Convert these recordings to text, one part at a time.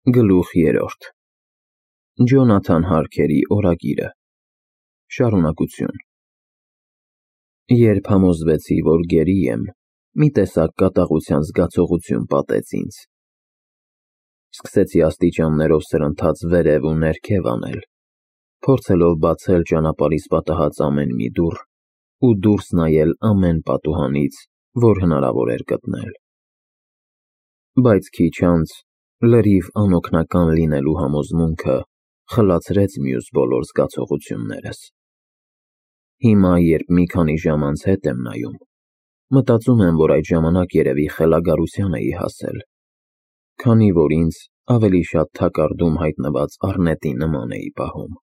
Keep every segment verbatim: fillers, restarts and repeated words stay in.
Գլուխ երրորդ Ջոնաթան Հարքերի օրագիրը Շարունակություն Երբ համոզվեցի, որ գերի եմ, մի տեսակ կատաղության զգացողություն պատեց ինձ։ Սկսեցի աստիճաններով սրընթաց վերև ու ներքև անել, փորձելով բացել ճանապարհիս պատահած ամեն մի դուռ ու դուրս նայել ամեն պատուհանից, որ հնարավոր էր գտնել։ Բայց քիչ անց լրիվ անօգնական լինելու համոզմունքը խլացրեց մյուս բոլոր զգացողություններս։ Հիմա, երբ մի քանի ժամ անց հետ եմ նայում, մտածում եմ, որ այդ ժամանակ երևի խելագարության էի հասել, քանի որ ինձ ավելի շատ թակարդում հայտնված առնետի նման էի պահում։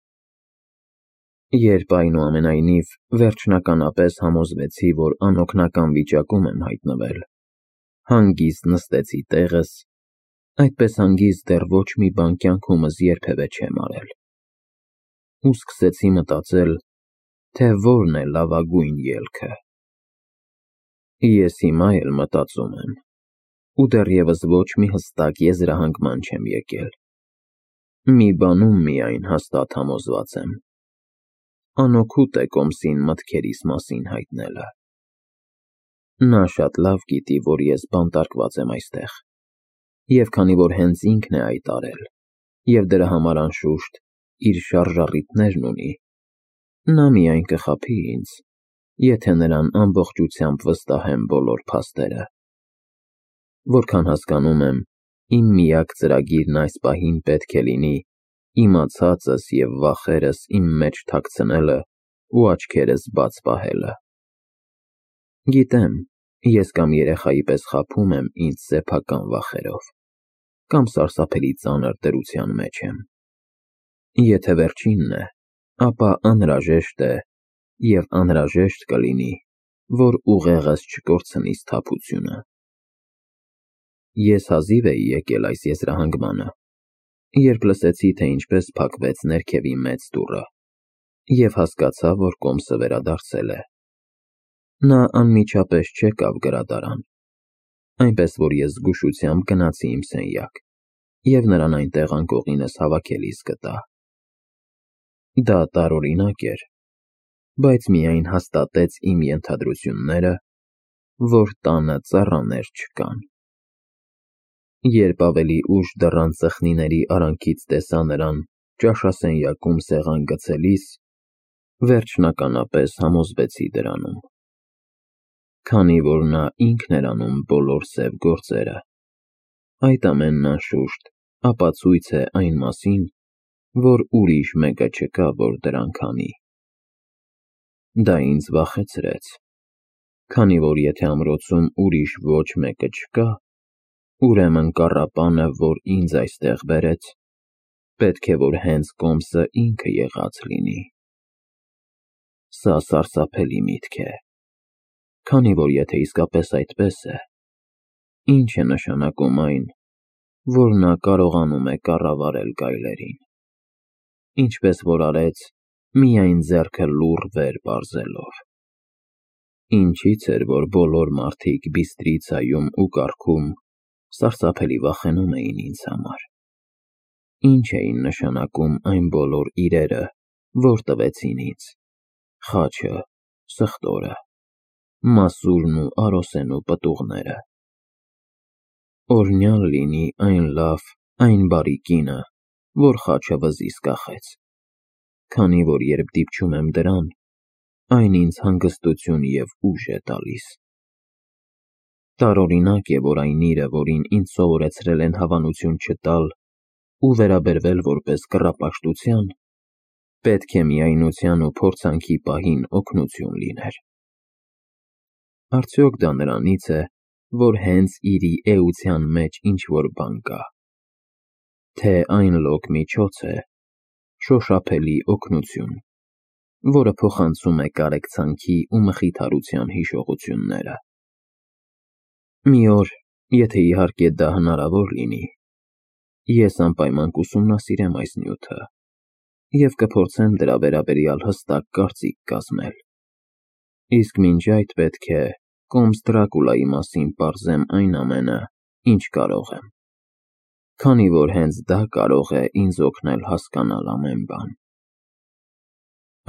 Երբ, այնուամենայնիվ, վերջնականապես համոզվեցի, որ անօգնական վիճակում եմ հայտնվել, հանգիստ նստեցի տեղս, այդպես հանգիստ դեռ ոչ մի բան կյանքումս երբևէ չեմ արել, ու սկսեցի մտածել, թե որն է լավագույն ելքը։ Ես հիմա էլ մտածում եմ, ու դեռևս ոչ մի հստակ եզրահանգման չեմ եկել։ Մի բանում միայն հաստատ համոզված եմ. անօգուտ է կոմսին մտքերիս մասին հայտնելը։ Նա շատ լավ գիտի, որ ես բանտարկված եմ այստեղ, և քանի որ հենց ինքն է այդ արել, և դրա համար անշուշտ իր շարժառիթներն ունի, նա միայն կխաբի ինձ, եթե նրան ամբողջությամբ վստահեմ բոլոր փաստերը։ Որքան հասկանում եմ, իմ միակ ծրագիրն այս պահին պետք է լինի իմացածս և վախերս իմ մեջ թաքցնելը ու աչքերս բաց պահելը։ Գիտեմ, ես կամ երեխայի պես խաբում եմ ինձ սեփական վախերով, կամ սարսափելի ծանր դրության մեջ եմ։ Եթե վերջինն է, ապա անհրաժեշտ է և անհրաժեշտ կլինի, որ ուղեղս չկորցնի սթափությունը։ Ես հազիվ էի եկել այս եզրահանգմանը, երբ լսեցի, թե ինչպես փակվեց ներքևի մեծ դուռը, և հասկացա, որ կոմսը վերադարձել է։ Նա անմիջապես չեկավ գրադարան, այնպես որ ես զգուշությամբ գնացի իմ սենյակ և նրան այնտեղ անկողինս հավաքելիս գտա։ Դա տարօրինակ էր, բայց միայն հաստատեց իմ ենթադրությունները, որ տանը ծառաներ չկան։ Երբ ավելի ուշ դռան ծխնիների արանքից տեսա նրան ճաշասենյակում սեղան գցելիս, վերջնականապես համոզվեցի դրանում։ Քանի որ նա ինքն էր անում բոլոր սև գործերը, այդ ամենն անշուշտ ապացույց է այն մասին, որ ուրիշ մեկը չկա, որ դրանք անի։ Դա ինձ վախեցրեց, քանի որ եթե ամրոցում ուրիշ ոչ մեկը չկա, ուրեմն կառապանը, որ ինձ այստեղ բերեց, պետք է որ հենց կոմսը ինքը եղած լինի։ Սա սարսափելի միտք է, քանի որ եթե իսկապես այդպես է, ի՞նչ է նշանակում այն, որ նա կարողանում է կառավարել գայլերին, ինչպես որ արեց միայն ձեռքը լուռ վեր պարզելով։ Ինչի՞ց էր, որ բոլոր մարդիկ Բիստրիցայում ու կառքում սարսափելի վախենում էին ինձ համար։ Ինչ էին նշանակում այն բոլոր իրերը, որ տվեցին ինձ՝ խաչը, սխտորը, մասուրն ու արոսենու պտուղները։ Օրհնյալ լինի այն լավ, այն բարի կինը, որ խաչը վզից կախեց, քանի որ երբ դիպչում եմ դրան, այն ինձ հանգստություն և ուժ է տալիս։ Տարօրինակ է, որ այն իրը, որին ինձ սովորեցրել են հավանություն չտալ ու վերաբերվել որպես կռապաշտության, պետք է միայնության ու փորձանքի պահին օգնություն լիներ։ Արդյոք դա նրանից է, որ հենց իրի էության մեջ ինչ-որ բան կա, թե այն լոկ միջոց է, շոշափելի օգնություն, որը փոխանցում է կարեկցանքի ու մխիթարության հիշողությունները։ Մի օր, եթե իհարկե դա հնարավոր լինի, ես անպայման կուսումնասիրեմ այս նյութը և կփորձեմ դրա վերաբերյալ հստակ կարծիք կազմել, իսկ մինչ այդ պետք է կոմս Դրակուլայի մասին պարզեմ այն ամենը, ինչ կարող եմ։ քանի որ հենց դա կարող է ինձ օգնել հասկանալ ամեն բան։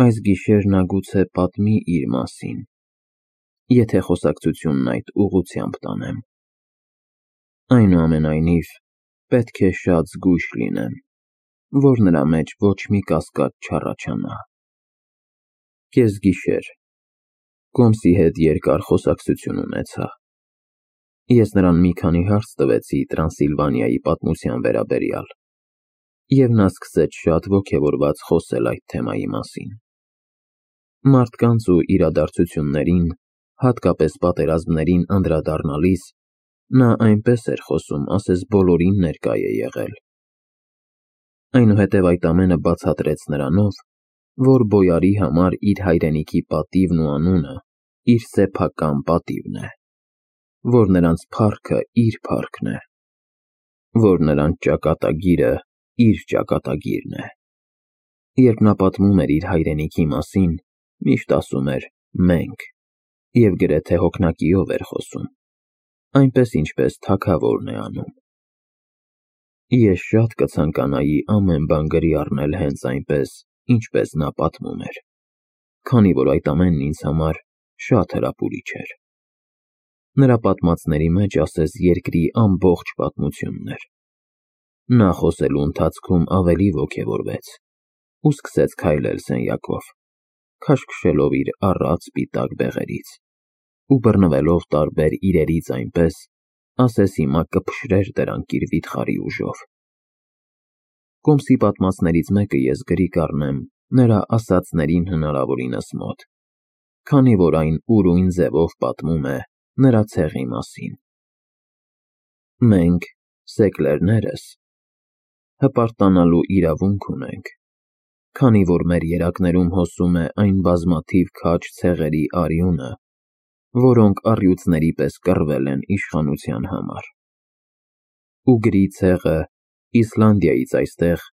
Այս գիշեր նա գուցե պատմի իր մասին, եթե խոսակցությունն այդ ուղղությամբ տանեմ։ Այնուամենայնիվ, պետք է շատ զգույշ լինեմ, որ նրա մեջ ոչ մի կասկած չառաջանա։ Կեսգիշեր Կոմսի հետ երկար խոսակցություն ունեցա։ Ես նրան մի քանի հարց տվեցի Տրանսիլվանիայի պատմության վերաբերյալ, և նա սկսեց շատ ոգևորված խոսել այդ թեմայի մասին։ Մարդկանց ու իրադարձություններին, հատկապես պատերազմներին անդրադառնալիս, նա այնպես էր խոսում, ասես բոլորին ներկա է եղել։ Այնուհետև այդ ամենը բացատրեց նրանով, որ բոյարի համար իր հայրենիքի պատիվն ու անունը իր սեփական պատիվն է, որ նրանց փառքը իր փառքն է, որ նրանց ճակատագիրը իր ճակատագիրն է։ Երբ նա պատմում էր իր հայրենիքի մասին, միշտ ասում էր «մենք» և գրեթե հոգնակիով էր խոսում, այնպես ինչպես թագավորն է անում։ Ես շատ կցանկանայի ամեն բան գրի առնել հենց այնպես, ինչպես նա պատմում էր, քանի որ այդ ամենն ինձ համար շատ հրապուրիչ էր։ Նրա պատմածների մեջ ասես երկրի ամբողջ պատմությունն էր։ Նա խոսելու ընթացքում ավելի ոգևորվեց ու սկսեց քայլել սենյակով, քաշքշելով իր առատ սպիտակ բեղերից ու բռնվելով տարբեր իրերից այնպես, ասես հիմա կփշրեր դրանք իր վիթխարի ուժով։ Կոմսի պատմածներից մեկը ես գրի կառնեմ նրա ասածներին հնարավորինս մոտ, քանի որ այն ուրույն ձևով պատմում է նրա ցեղի մասին։ Մենք, սեկլերներս, հպարտանալու իրավունք ունենք, քանի որ մեր երակներում հոսում է այն բազմաթիվ քաջ ցեղերի արյունը, որոնք առյուծների պես կռվել են իշխանության համար։ Ուգրի ցեղը Իսլանդիայից այստեղ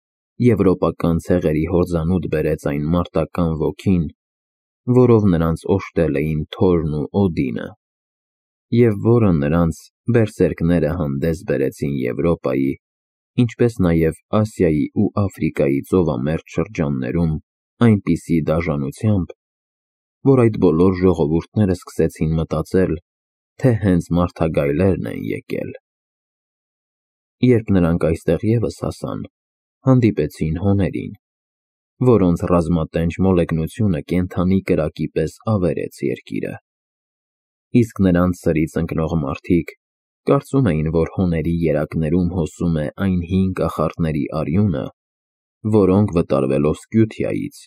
եվրոպական ցեղերի հորձանուտ բերեց այն մարտական ոգին, որով նրանց օժտել էին Թորն ու Օդինը, և որը նրանց բերսերքները հանդես բերեցին Եվրոպայի, ինչպես նաև Ասիայի ու Աֆրիկայի ծովամերձ շրջաններում այնպիսի դաժանությամբ, որ այդ բոլոր ժողովուրդները սկսեցին մտածել, թե հենց մարդագայլերն են եկել։ Երբ նրանք այստեղ ևս հասան, հանդիպեցին հոներին, որոնց ռազմատենչ մոլեգնությունը կենդանի կրակի պես ավերեց երկիրը։ Իսկ նրանց սրից ընկնող մարդիկ կարծում էին, որ հոների երակներում հոսում է այն հին կախարդների արյունը, որոնք վտարվելով Սկյութիայից,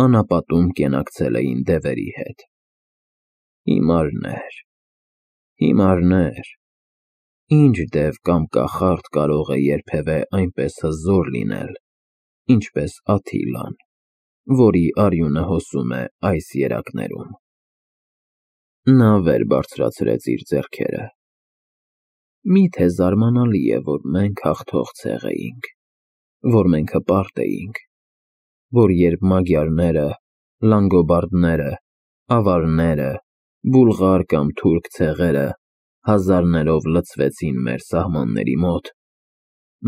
անապատում կենակցել էին դևերի հետ։ Հիմարներ, հիմարներ, ինչ դև կամ կախարդ կարող է երբևէ այնպես հզոր լինել, ինչպես Աթիլան, որի արյունը հոսում է այս երակներում։ Նա վեր բարձրացրեց իր ձեռքերը։ Մի՞թե զարմանալի է, որ մենք հաղթող ցեղ էինք, որ մենք հպարտ էինք, որ երբ մագիարները, լանգոբարդները, ավարները, բուլղար կամ թուրք ցեղերը հազարներով լցվեցին մեր սահմանների մոտ,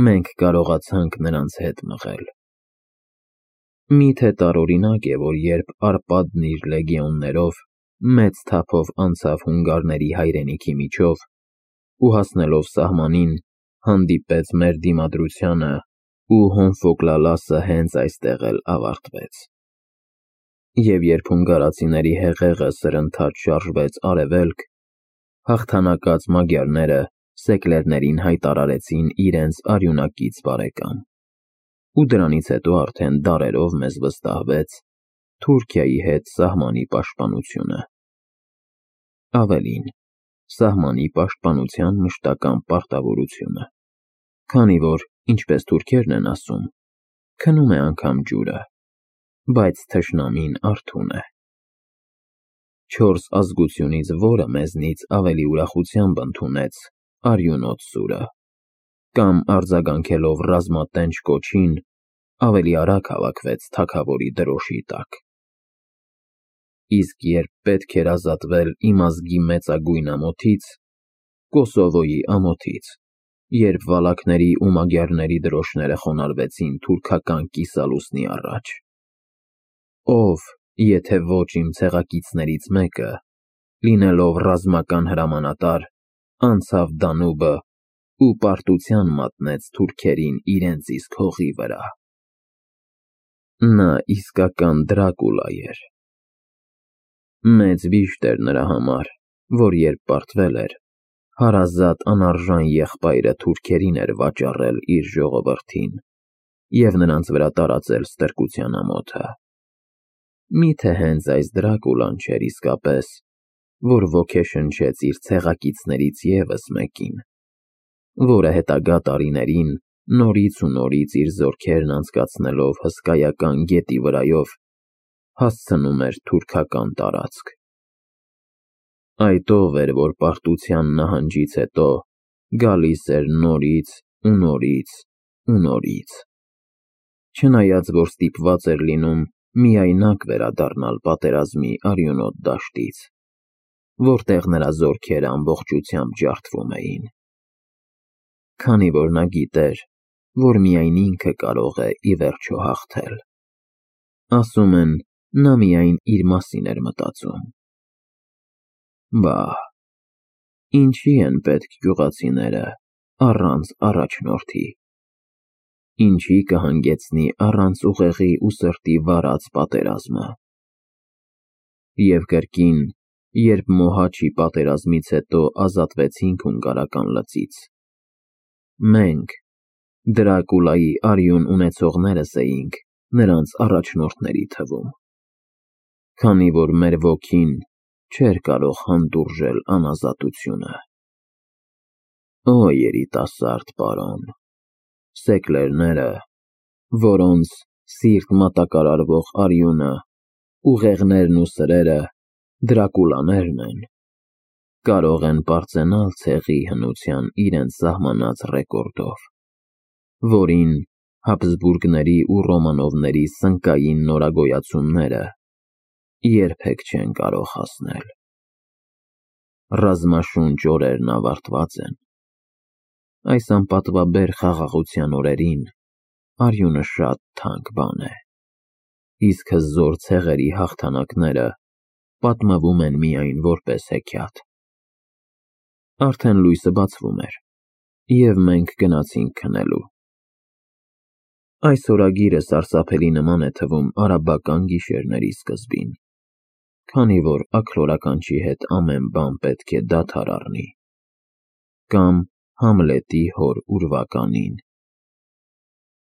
մենք կարողացանք նրանց հետ մղել։ Մի՞թե տարօրինակ է, որ երբ Արպադն իր լեգիոններով մեծ թափով անցավ հունգարների հայրենիքի միջով ու հասնելով սահմանին, հանդիպեց մեր դիմադրությանը ու Հոմֆոկլալասը հենց այստեղ էլ ավարտվեց։ Եվ երբ հունգարացիների հեղեղը սրընթաց շարժվեց արևելք, հաղթանակած մագիարները սեկլերներին հայտարարեցին իրենց արյունակից բարեկամ, ու դրանից հետո արդեն դարերով մեզ վստահվեց Թուրքիայի հետ սահմանի պաշտպանությունը։ Ավելին, սահմանի պաշտպանության մշտական պարտավորությունը, քանի որ, ինչպես թուրքերն են ասում, քնում է անգամ ջուրը, բայց թշնամին արթուն է։ Չորս ազգությունից որը մեզնից ավելի ուրախությամբ ընդունեց արյունոտ սուրը, կամ արձագանքելով ռազմատենչ կոչին, ավելի արագ հավաքվեց թագավորի դրոշի տակ։ Իսկ երբ պետք էր ազատվել իմ ազգի մեծագույն ամոթից, Կոսովոյի ամոթից, երբ վալակների ու մագյարների դրոշները խոնարհվեցին թուրքական կիսալուսնի առաջ։ Ով, եթե ոչ իմ ցեղակիցներից մեկը, լինելով ռազմական հրամանատար, անցավ Դանուբը ու պարտության մատնեց թուրքերին իրենց իսկ հողի վրա։ Նա իսկական Դրակուլա էր։ Մեծ վիշտ էր նրա համար, որ երբ պարտվել էր, հարազատ անարժան եղբայրը թուրքերին էր վաճառել իր ժողովրդին և նրանց վրա տարածել ստրկության ամոթը։ Մի՞թե հենց այս Դրակուլան չէր իսկապես, որ ոգեշնչեց իր ցեղակիցներից ևս մեկին, որը հետագա տարիներին նորից ու նորից իր զորքերն անցկացնելով հսկայական գետի վրայով հասցնում էր թուրքական տարածք։ Այդ ով էր, որ պարտության նահանջից հետո գալիս էր նորից ու նորից ու նորից, չնայած որ ստիպված էր լինում միայնակ վերադառնալ պատերազմի արյունոտ դաշտից, որտեղ նրա զորքերը ամբողջությամբ ջարդվում էին, քանի որ նա գիտեր, որ միայն ինքը կարող է ի վերջո հաղթել։ Ասում են, նա միայն իր մասին էր մտածում։ Բա՜, ինչի են պետք գյուղացիները առանց առաջնորդի, ինչի կհանգեցնի առանց ուղեղի ու սրտի վարած պատերազմը։ Եվ կրկին, երբ Մոհաչի պատերազմից հետո ազատվեցինք հունգարական լծից, մենք, Դրակուլայի արյուն ունեցողներս էինք նրանց առաջնորդների թվում, քանի որ մեր ոգին չէր կարող հանդուրժել անազատությունը։ Օ երիտասարդ պարոն, սեկլերները, որոնց սիրտ մատակարարվող արյունը, ուղեղներն ու սրերը Դրակուլաներն են, կարող են պարծենալ ցեղի հնության իրենց սահմանած ռեկորդով, որին Հաբսբուրգների ու Ռոմանովների սնկային նորագոյացումները երբեք չեն կարող հասնել։ Ռազմաշունչ օրերն ավարտված են։ Այս անպատվաբեր խաղաղության օրերին արյունը շատ թանկ բան է, իսկ հզոր ցեղերի հաղթանակները պատմվում են միայն որպես հեքիաթ։ Արդեն լույսը բացվում էր, և մենք գնացինք քնելու։ Այս օրագիրը սարսափելի նման է թվում արաբական գիշերների սկզբին, քանի որ աքլորականչի հետ ամեն բան պետք է դադար առնի, կամ Համլետի հոր ուրվականին։